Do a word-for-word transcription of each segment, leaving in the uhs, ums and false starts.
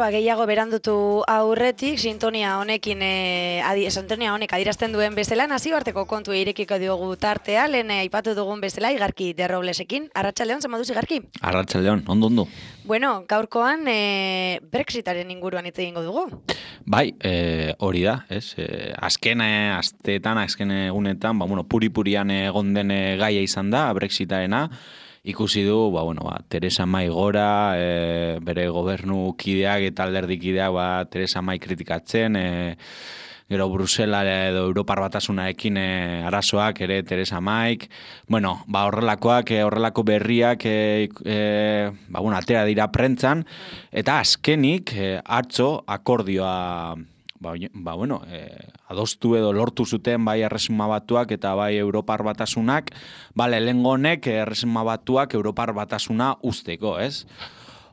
ba, gehiago berandutu aurretik, sintonia honekin, e, adi, sintonia honek adierazten duen bezala, nazioarteko kontu irekiko diogu tartea, lehen aipatu dugun bezala, Igarki Derroblesekin. Arratsaldeon, zer moduz, Igarki? Arratsaldeon, ondo ondo. Bueno, gaurkoan e, Brexitaren inguruan hitz egingo dugu. Bai, e, hori da, ez? E, azken e, asteetan, azken egunetan, ba, bueno, puri-purian egon den gaia izan da, Brexitarena. Ikusi du, ba, bueno, ba, Teresa May gora, e, bere gobernu kideak eta alderdi kideak ba, Teresa May kritikatzen, e, gero Brusela edo Europar Batasunarekin e, arazoak ere Teresa Mayk, bueno, ba, horrelakoak, e, horrelako berriak e, e, ba, bueno, atera dira prentzan, eta azkenik e, atzo akordioa Ba, ba, bueno, eh, adostu edo lortu zuten bai Erresuma Batuak eta bai Europar Batasunak, bale, lehengo honek Erresuma Batuak Europar Batasuna usteko, ez?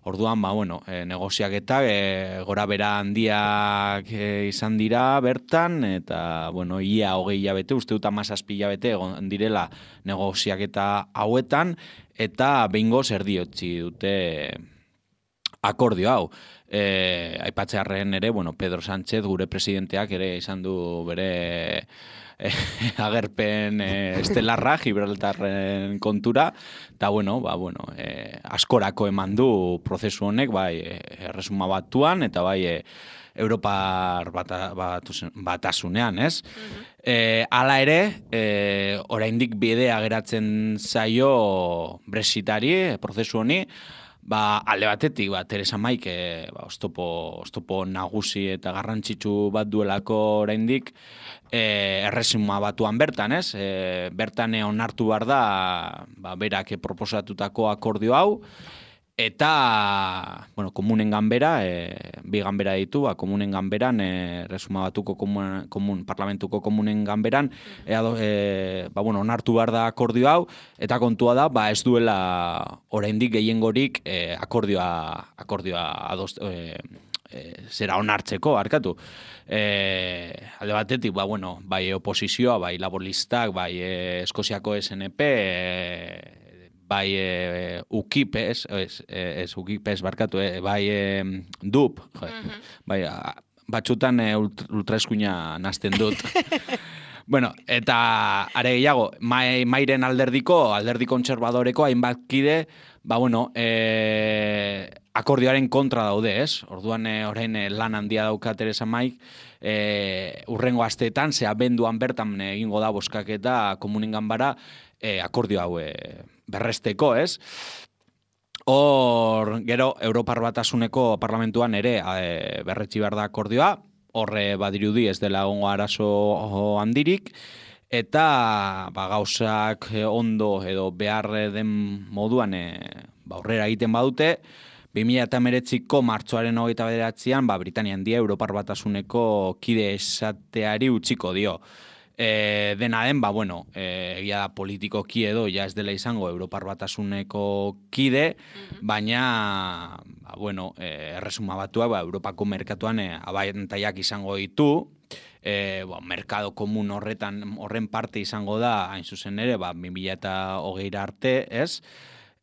Orduan, ba, bueno, e, negoziaketak e, gora bera handiak e, izan dira bertan, eta, bueno, ia hogei hilabete, uste dut hamazazpi hilabete egon direla negoziaketa hauetan, eta behingoz erdiotzi dute akordio hau. E, aipatzearren ere, bueno, Pedro Sánchez, gure presidenteak ere izan du bere e, agerpen e, estelarra, Gibraltarren kontura, eta, bueno, ba, bueno, e, askorako eman du prozesu honek, bai, Erresuma Batuan, eta bai, e, Europar bata, batasunean, ez? Mm-hmm. E, hala ere, e, oraindik bidea geratzen zaio Brexitari, prozesu honi, ba, alde batetik, ba, Teresa Mayk e, ba, oztopo, oztopo nagusi eta garrantzitsu bat duelako oraindik e, Erresuma Batuan bertan, ez? E, bertan onartu behar da, ba, berak proposatutako akordio hau, eta, bueno, komunen ganbera, e, bi ganbera ditu, ba, komunen ganberan, e, Erresuma Batuko komun, komun, parlamentuko komunen ganberan, e, e, ba, bueno, onartu behar da akordio hau, eta kontua da, ba, ez duela oraindik gehiengorik e, akordioa, akordioa adost, e, e, zera onartzeko, arkatu. E, alde batetik, ba, bueno, bai oposizioa, bai laboristak, bai e, Eskoziako S N P, e, bai e, UKIP, ez, ez, ez UKIP ez barkatu, e, bai e, D U P, jo, mm-hmm. bai, a, batxutan e, ultraeskuina nazten dut. Bueno, eta are gehiago, mai, mairen alderdiko, alderdi kontserbadoreko hainbat kide, ba, bueno, e, akordioaren kontra daude, ez? Orduan, e, orain e, lan handia dauka Teresa Mayk, e, urrengo asteetan, ze abenduan bertan egingo da boskaketa komunen ganbara, e, akordio hau e, berresteko, ez? Hor, gero, Europar Batasuneko parlamentuan ere e, berretsi behar da akordioa, horre badirudi ez dela egongo arazo handirik, eta ba, gauzak ondo edo behar den moduan e, ba, horrera egiten badute, bi mila hemeretziko martxoaren hogeita bederatzean, ba, Britania Handia Europar Batasuneko kide esateari utziko dio. E, dena den, ba, bueno, e, egia da politikoki edo, ja ez dela izango Europar Batasuneko kide, mm-hmm. baina, ba, bueno, e, Erresuma Batuak, ba, Europako merkatuan e, abantaiak izango ditu, e, ba, merkado komun horretan, horren parte izango da, hain zuzen ere, ba, bi mila hogeira arte, ez?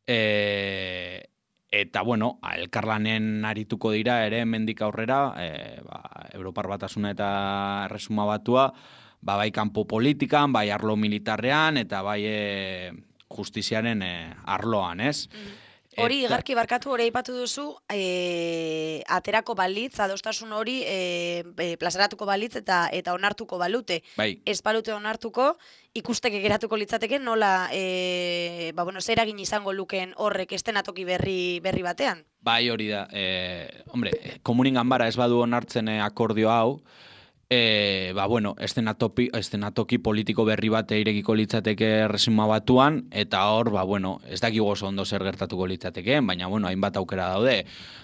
E, eta, bueno, elkarlanen arituko dira ere hemendik aurrera, e, ba, Europar Batasuna eta Erresuma Batua, ba, bai kanpo politikan, bai arlo militarrean, eta bai e, justiziaren e, arloan, ez? Mm. Hori, Igarki barkatu, hori aipatu duzu, e, aterako balitz, adostasun hori e, e, plazaratuko balitz eta eta onartuko balute. Bai. Ez balute onartuko, ikusteke geratuko litzateke nola, e, ba, bueno, zer egin izango lukeen horrek estenatoki berri, berri batean? Bai, hori da. E, hombre, komunin ganbara ez badu onartzen akordio hau, E, ba, bueno, estenatoki, estenatoki politiko berri bat irekiko litzateke Erresuma Batuan, eta hor, ba, bueno, ez dakigu oso ondo zer gertatuko litzatekeen, baina, bueno, hainbat aukera daude.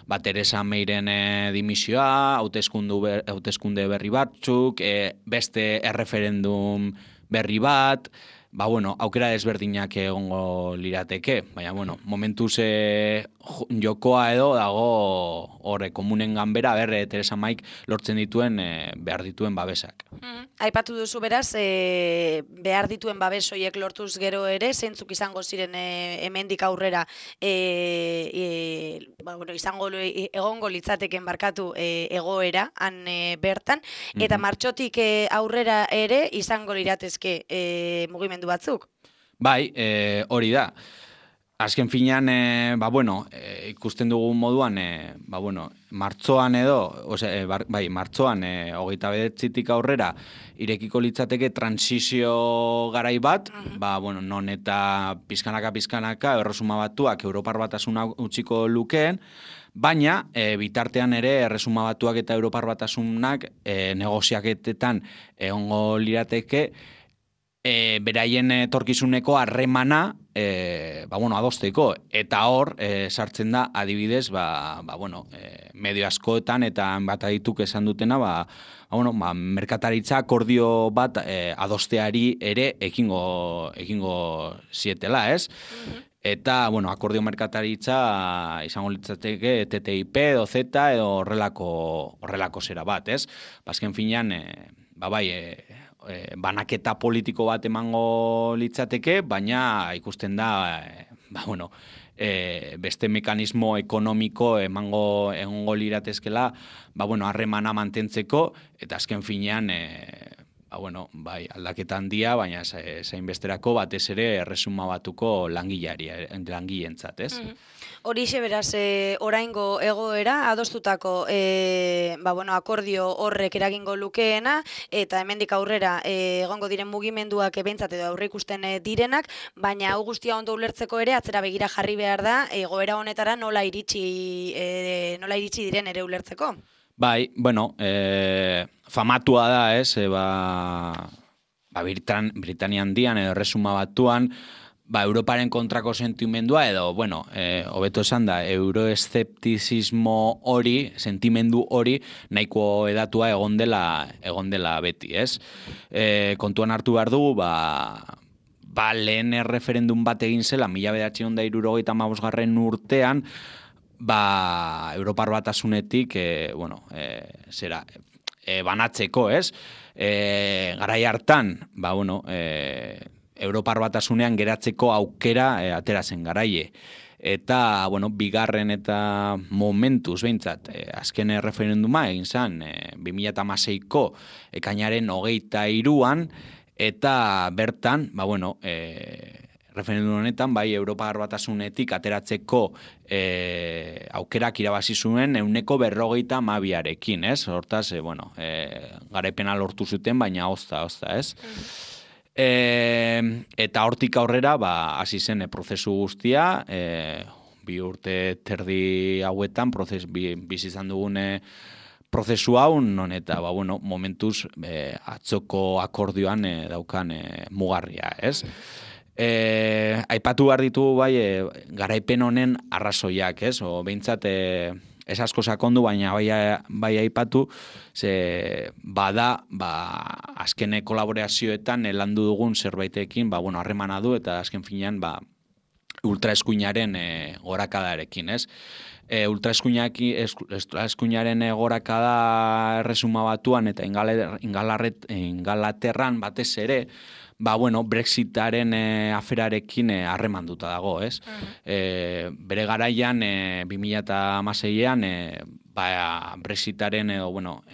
Ba, Teresa Mayren e, dimisioa, hauteskunde berri batzuk, e, beste erreferendum berri bat, ba, bueno, aukera desberdinak egongo lirateke, baina, bueno, momentuz e, jokoa edo dago horre komunen ganbera, berre Teresa Maik lortzen dituen e, behar dituen babesak. Mm, aipatu duzu beraz, e, behar dituen babes horiek lortuz gero ere, zeintzuk izango ziren e, hemendik aurrera, e, e, ba, bueno, izango egongo litzateken barkatu e, egoera, han e, bertan, eta Mhm. martxotik e, aurrera ere izango liratezke e, mugimendu batzuk. Bai, e, hori da. Azken finean, e, ba, bueno, e, ikusten dugun moduan, e, ba, bueno, martzoan edo, ose, e, bar, bai, martzoan, e, hogeita bedetzitik aurrera, irekiko litzateke transizio garai bat, Mhm. ba, bueno, non eta pizkanaka-pizkanaka, erresuma batuak Europar Batasuna utziko lukeen, baina, e, bitartean ere, erresuma batuak eta Europar Batasunak e, negoziaketetan egongo lirateke, E, beraien etorkizuneko harremana e, ba, bueno, adosteko, eta hor e, sartzen da adibidez ba, ba, bueno, e, medio askoetan eta bat adituk esan dutena ba, ba, bueno, ba, merkataritza akordio bat e, adosteari ere ekingo, ekingo zietela, ez? Mhm. Eta, bueno, akordio merkataritza izango litzateke T T I P edo Z edo horrelako, horrelako zera bat, ez? Bazken finean, e, ba bai, e, E, banaketa politiko bat emango litzateke, baina ikusten da, e, ba, bueno, e, beste mekanismo ekonomiko emango egongo liratezkela, ba, bueno, harremana mantentzeko, eta azken finean, e, ba, bueno, bai, aldaketa handia, baina zain besterako batez ere erresuma batuko langilari, langileentzat, ez? Mhm. Horixe beraz, e, oraingo egoera, adostutako e, ba, bueno, akordio horrek eragingo lukeena, eta hemendik aurrera e, egongo diren mugimenduak ebentzat edo aurre ikusten e, direnak, baina hau guztia ondo ulertzeko ere, atzera begira jarri behar da, egoera honetara nola iritsi, e, nola iritsi diren ere ulertzeko. Bai, bueno, e, famatua da, ez, e, ba, ba Britan, Britania handian edo erresuma batuan, ba, Europaren kontrako sentimendua edo, bueno, e, hobeto esan da, euroeszeptizismo hori, sentimendu hori, nahiko edatua egon dela, egon dela beti, ez? E, kontuan hartu behar dugu, ba, ba lehen referendum bat egin zela, mila bederatziehun eta hirurogeita hamabosgarren urtean, ba, Europar Batasunetik, e, bueno, e, zera, e, banatzeko, ez? E, garai hartan, ba, bueno, e, Europar Batasunean geratzeko aukera e, atera zen garaie. Eta, bueno, bigarren eta momentuz, behintzat, e, azken referenduma egin zen, e, bi mila hamaseiko ekainaren hogeita hiruan, eta bertan, ba, bueno, e, referendum honetan, bai, Europar Batasunetik ateratzeko e, aukerak irabazi zuen euneko berrogeita hamabiarekin, ez? Hortaz, e, bueno, e, garaipena lortu zuten, baina ozta, ozta, ez? E, eta hortik aurrera, ba, hasi zen e, prozesu guztia, e, bi urte terdi hauetan, prozes, bi, bizi izan dugune prozesu hau, non eta, ba, bueno, momentuz e, atzoko akordioan e, daukan e, mugarria, ez? E, aipatu behar ditugu bai e, garaipen honen arrazoiak, ez? O behintzat e, ez asko sakondu, baina bai, bai aipatu, ze bada, ba, azken kolaborazioetan landu dugun zerbaitekin, ba, bueno, harremana du, eta azken finean, ba, ultraeskuinaren e, gorakadarekin, ez? E, ultraeskuinaren e, gorakada erresuma batuan eta Ingalaterran batez ere, ba, bueno, Brexitaren e, aferarekin harremanduta e, dago, ez? Uh-huh. E, bere garaian, e, bi mila hamaseian, e, ba, Brexitaren, edo, bueno, e,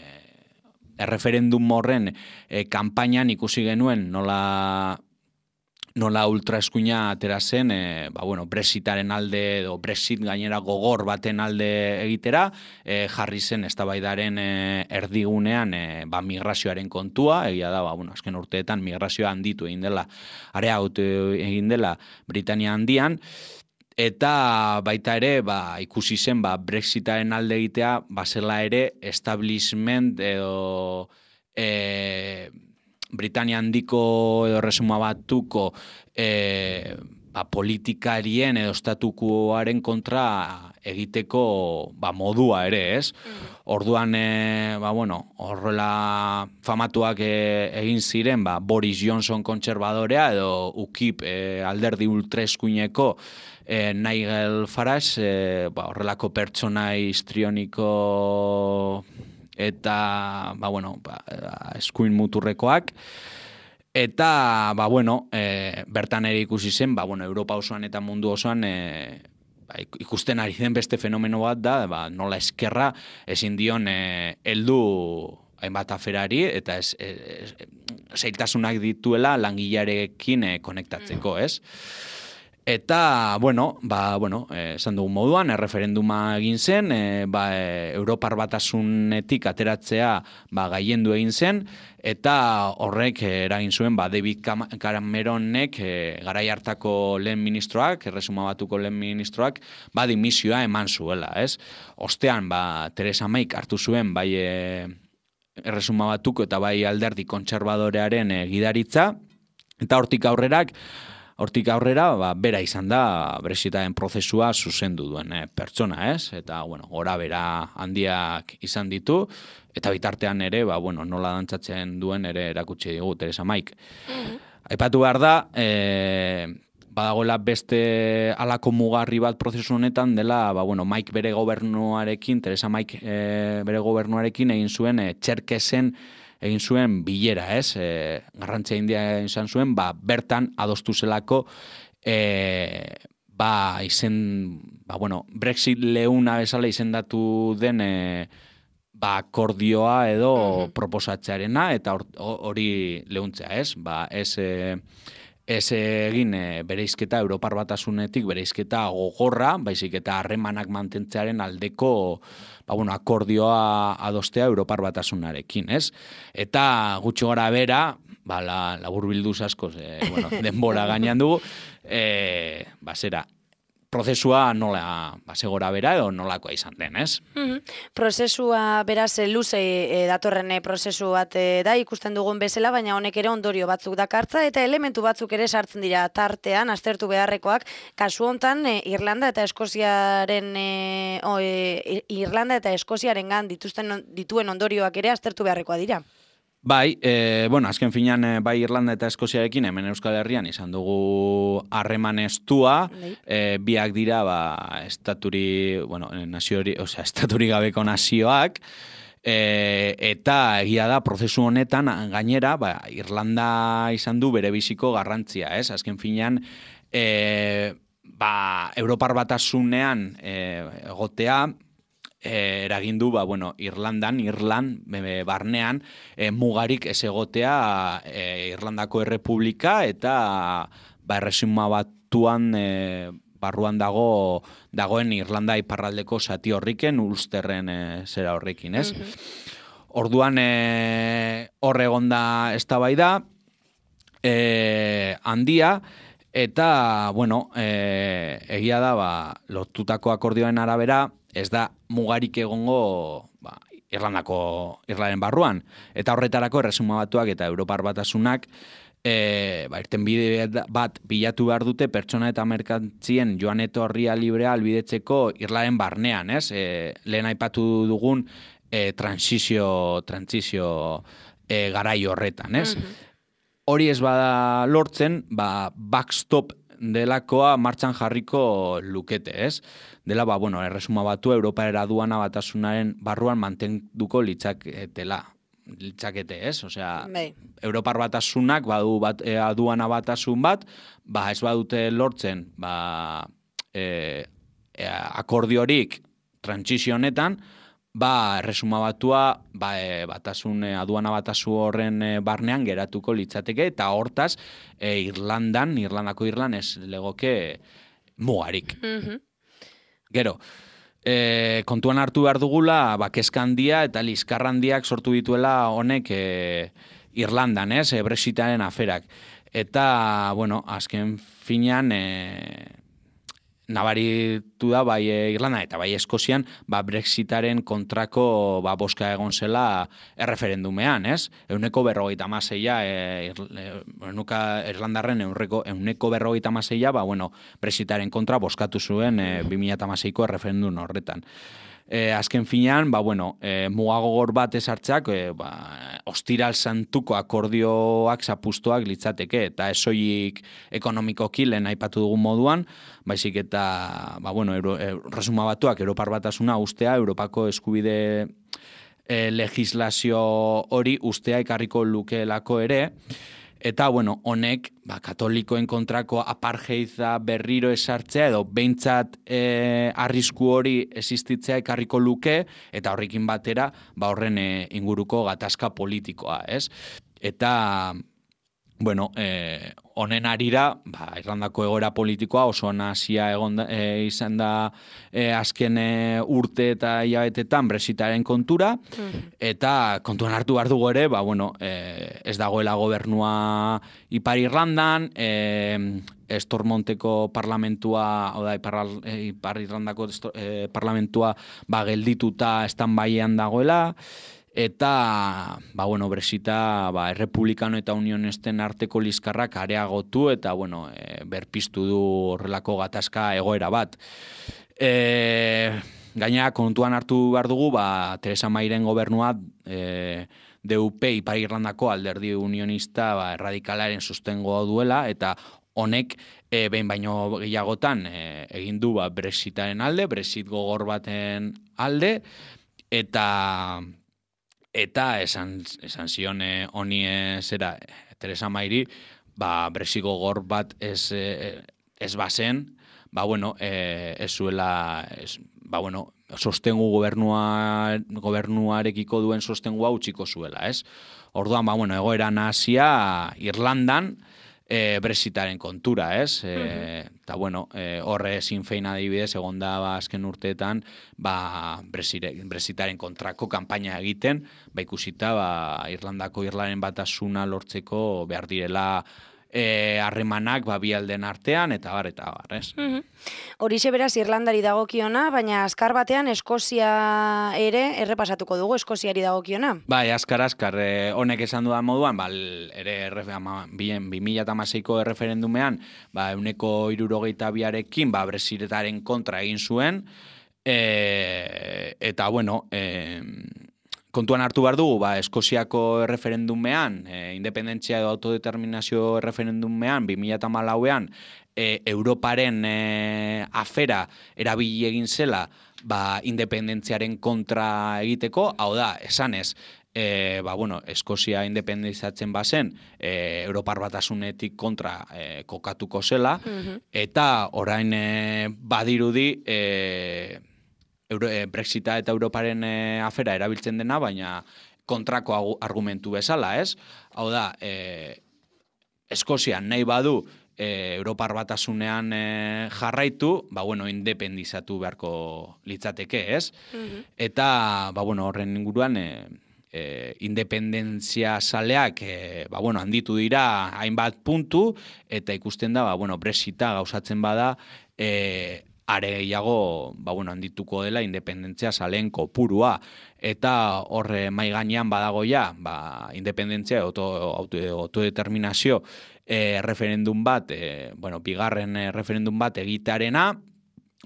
erreferendum horren e, kanpainan ikusi genuen nola nola ultraeskuina atera zen, e, ba, bueno, Brexitaren alde, edo Brexit gainera gogor baten alde egitera, e, jarri zen eztabaidaren e, erdigunean e, ba, migrazioaren kontua, egia da, ba, bueno, azken urteetan migrazioa handitu egin dela, areagotu egin dela Britania handian, eta baita ere, ba, ikusi zen, ba, Brexitaren alde egitea, bazela ere, establishment edo e, Britania handiko edo erresuma batuko e, ba, politikarien edo estatukoaren kontra egiteko ba, modua ere, ez? Orduan, e, ba, bueno, horrela famatuak e, egin ziren, ba, Boris Johnson kontserbadorea edo U K I P e, alderdi ultraeskuineko e, Nigel Farage, e, ba, horrelako pertsona histrioniko eta, ba, bueno, ba, eskuin muturrekoak. Eta, ba, bueno, e, bertan ere ikusi zen, ba, bueno, Europa osoan eta mundu osoan e, ba, ikusten ari den beste fenomeno bat da, ba, nola eskerra ezin dion e, heldu hainbat aferari, eta ez, ez, zailtasunak dituela langilearekin e, konektatzeko, ez? Eta, bueno, ba, bueno, esan dugun moduan, erreferenduma egin zen, e, ba, e, Europar Batasunetik ateratzea ba, gaiendu egin zen, eta horrek eragin zuen ba, David Cameronek e, garai hartako lehen ministroak, erresuma batuko lehen ministroak, ba, dimisioa eman zuela, ez? Ostean, ba, Theresa Mayk hartu zuen, bai e, erresuma batuko eta bai alderdi kontserbadorearen e, gidaritza, eta hortik aurrerak, Hortik aurrera, ba, bera izan da Brexitaren prozesua zuzendu duen eh, pertsona, ez? Eta, bueno, gora bera handiak izan ditu, eta bitartean ere, ba, bueno, nola dantzatzen duen ere erakutsi digu Theresa Mayk. Mm-hmm. Aipatu behar da, eh, badagoela beste halako mugarri bat prozesu honetan dela, ba, bueno, Mayk bere gobernuarekin, Theresa Mayk eh, bere gobernuarekin egin zuen eh, Txerkesen egin zuen bilera, ez? E, garrantzia handia izan zuen, ba, bertan adostu zelako e, ba, izen, ba, bueno, Brexit leuna bezala izendatu den e, ba, akordioa edo mm-hmm. proposatzearena, eta hori leuntzea, ez? Ba, ez, e, ez egin e, bereizketa Europar Batasunetik, bereizketa gogorra, baizik eta harremanak mantentzearen aldeko ba, bueno, akordioa adostea Europar Batasunarekin, ez? Eta gutxi gora bera, ba, la, labur bilduz askoz, e, bueno, denbora gainean dugu, e, ba, zera, prozesua nola, ba, segora bera edo nolakoa izan den, ez? Mm-hmm. Prozesua beraz luze e, datorren prozesu bat e, da ikusten dugun bezala, baina honek ere ondorio batzuk dakartza eta elementu batzuk ere sartzen dira tartean, aztertu beharrekoak, kasu hontan e, Irlanda eta Eskoziaren e, o, e, Irlanda eta Eskoziarengan dituzten dituen ondorioak ere aztertu beharrekoa dira. Bai, e, bueno, azken finean bai Irlanda eta Eskoziarekin hemen Euskal Herrian izan dugu harreman estua, e, biak dira ba, estaturi, bueno, naziori, osea, estaturi gabeko nazioak, e, eta egia da prozesu honetan gainera, ba, Irlanda izan du bere biziko garrantzia, ez? Azken finean, e, ba, Europar Batasunean e, egotea, E, eragindu, ba, bueno, Irlandan, Irland, e, barnean, e, mugarik ez egotea e, Irlandako Errepublika eta ba, erresuma batuan e, barruan dago dagoen Irlanda iparraldeko zati horriken, Ulsterren e, zera horrekin, ez? Mm-hmm. Orduan, e, horre egonda eztabaida e, handia, eta, bueno, e, egia da, ba, lortutako akordioen arabera, ez da mugarik egongo ba, Irlandako Irlaren barruan. Eta horretarako erresuma batuak eta Europar Batasunak e, ba, irtenbide bat bilatu behar dute pertsona eta merkantzien joan etorria librea albidetzeko Irlaren barnean, ez? E, lehen aipatu dugun e, transizio, transizio e, garai horretan, ez? Mm-hmm. Hori ez bada lortzen, ba, backstop delakoa martxan jarriko lukete, ez? Dela, ba, bueno, erresuma batu Europar aduana batasunaren barruan mantenduko litzaketela. Litzakete, ez? Osea, Bei. Europar batasunak badu bat, e, aduana batasun bat, ba, ez badute lortzen, ba, e, e, akordiorik transizio honetan, ba, erresuma batua, ba, e, batasun, e, aduana batasu horren e, barnean geratuko litzateke, eta hortaz, e, Irlandan, Irlandako Irlan ez legoke mugarik. Mm-hmm. Gero, e, kontuan hartu behar dugula, ba, kezka handia eta liskar handiak sortu dituela honek e, Irlandan, ez, e, Brexitaren aferak. Eta, bueno, azken finean, e, nabaritu da bai Irlanda eta bai Eskozian, ba Brexitaren kontrako ba boska egon zela erreferendumean, ez? Ehuneko berrogeita hamaseia e, enuka Irlandarren ehuneko ehuneko berrogeita hamaseia, ba bueno, Brexitaren kontra boskatu zuen e, bi mila hamaseiko erreferendum horretan. E, azken finean, ba, bueno, e, mugagogor bat esartzeak, e, ba, ostiral santuko akordioak zapustoak litzateke, eta esoik ekonomikoki lehen aipatu dugun moduan, baizik eta, ba, bueno, Euro, e, resuma batuak, Europar Batasuna ustea, Europako eskubide e, legislazio hori ustea ekarriko lukeelako ere, eta, bueno, honek, ba, katolikoen kontrako apartheida berriro esartzea, edo behintzat e, arrisku hori existitzea ekarriko luke, eta horrekin batera, ba, horren e, inguruko gatazka politikoa, ez? Eta, bueno, eh, honen arira, ba, Irlandako egoera politikoa oso nazia egon da, e, izan da e, azken e, urte eta hilabetetan Brexitaren kontura, eta kontuan hartu behar dugu ere, ba, bueno, e, ez dagoela gobernua Ipar Irlandan, e, Estormonteko parlamentua, hau da, Ipar, Ipar Irlandako e, parlamentua ba, geldituta stand-byean dagoela, eta, ba, bueno, Brexita, ba, Errepublikano eta Unionesten arteko liskarrak areagotu eta, bueno, e, berpiztu du horrelako gatazka egoera bat. E, gaina, kontuan hartu behar dugu, ba, Theresa Mayren gobernua e, D U P Ipar Irlandako alderdi unionista ba, erradikalaren sustengo duela, eta honek e, behin baino gehiagotan e, egin du ba, Brexitaren alde, Brexit gogor baten alde, eta... Eta esan, esan zion honi e, zera Theresa Mayri, ba, Brexit gogor bat ez, e, ez bazen, ba, bueno, e, ez zuela, ez, ba, bueno, sostengu gobernua, gobernuarekiko duen sostengua utziko zuela, ez? Orduan, ba, bueno, egoera nazia Irlandan, E, Brexitaren kontura, ez? E, eta, bueno, e, horre Sinn Féin adibidez, egon da ba, azken urteetan, ba, Brexitaren kontrako kanpaina egiten, ba, ikusita, ba, Irlandako Irlaren batasuna lortzeko behar direla harremanak e, ba, bi alden artean, eta bar, eta bar, ez? Horixe beraz Irlandari dagokiona, baina azkar batean Eskozia ere errepasatuko dugu, Eskoziari dagokiona. Bai, azkar, azkar, eh, honek esan dudan moduan, ba, ere bi mila hamaseiko erreferendumean, ba, euneko hirurogeita biarekin, ba, Brexitaren kontra egin zuen, e, eta, bueno, e, kontuan hartu behar dugu, ba, Eskoziako erreferendumean, e, independentzia edo autodeterminazio erreferendumean, bi mila hamalauean, e, Europaren e, afera erabili egin zela, ba, independentziaren kontra egiteko, hau da, esanez, e, ba, bueno, Eskozia independizatzen bazen, e, Europar Batasunetik kontra e, kokatuko zela, mm-hmm. eta orain e, badirudi, e, Euro, e, Brexita eta Europaren e, afera erabiltzen dena, baina kontrako argumentu bezala, ez? Hau da, e, Eskozia nahi badu e, Europar Batasunean e, jarraitu, ba, bueno, independizatu beharko litzateke, ez? Mm-hmm. Eta, ba, bueno, horren inguruan, e, e, independentzia saleak, e, ba, bueno, handitu dira hainbat puntu, eta ikusten da, ba, bueno, Brexita gauzatzen bada, e, are gehiago, ba, bueno, handituko dela independentzia saleen kopurua, eta horre mai gainean badago ja, ba, independentzia auto, auto, autodeterminazio e, referendum bat, e, bueno, bigarren e, referendum bat egitearena,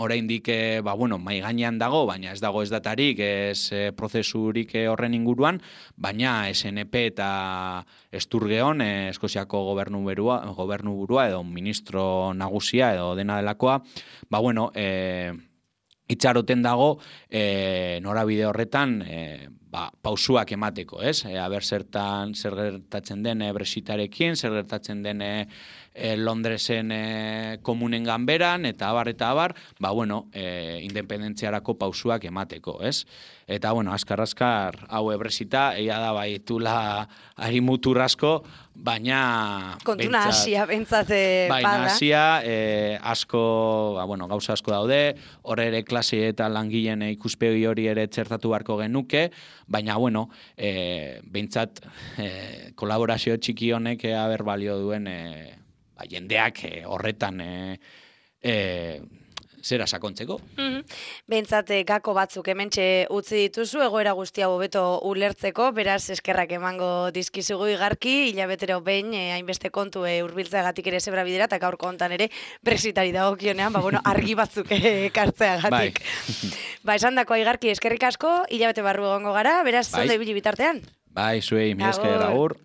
oraindik e, ba, bueno, mai gainean dago, baina ez dago ez datarik, ez e, prozesurik e, horren inguruan, baina S N P eta Esturgeon, e, Eskoziako gobernu berua, gobernu burua edo ministro nagusia edo dena delakoa, ba, bueno, e, itxaroten dago e, norabide horretan e, ba, pausuak emateko, ez? E, aber zertan zer gertatzen den e, Brexitarekin, zer gertatzen den e, e, Londresen e, komunen ganberan, eta abar, eta abar, ba, bueno, e, independentziarako pausuak emateko, ez? Eta, bueno, askar-askar, hau Brexita, egia da, bai, tula ari mutur asko, baina... Kontuna asia, bentsate bada. Baina asia, e, asko, ba, bueno, gauza asko daude, horre ere klase eta langileen ikuspegi hori ere txertatu beharko genuke, baina, bueno, e, bentsat, e, kolaborazio txiki honek e, haber balio duen e, ba, jendeak e, horretan e, e, zera sakontzeko. Mm-hmm. Behintzat gako batzuk hementxe utzi dituzu, egoera guztia hobeto ulertzeko, beraz eskerrak emango dizkizugu Igarki, hilabetero behin eh, hainbeste kontu eh, hurbiltzeagatik ere zebra bidera, eta gaurko hontan ere Brexitari dagokionean, ba, bueno, argi batzuk eh, ekartzeagatik. Bai. Ba, esan dako Igarki eskerrik asko, hilabete barru egongo gara, beraz, Bai. zondo ibili bitartean. Bai, zuei, mi esker, agur.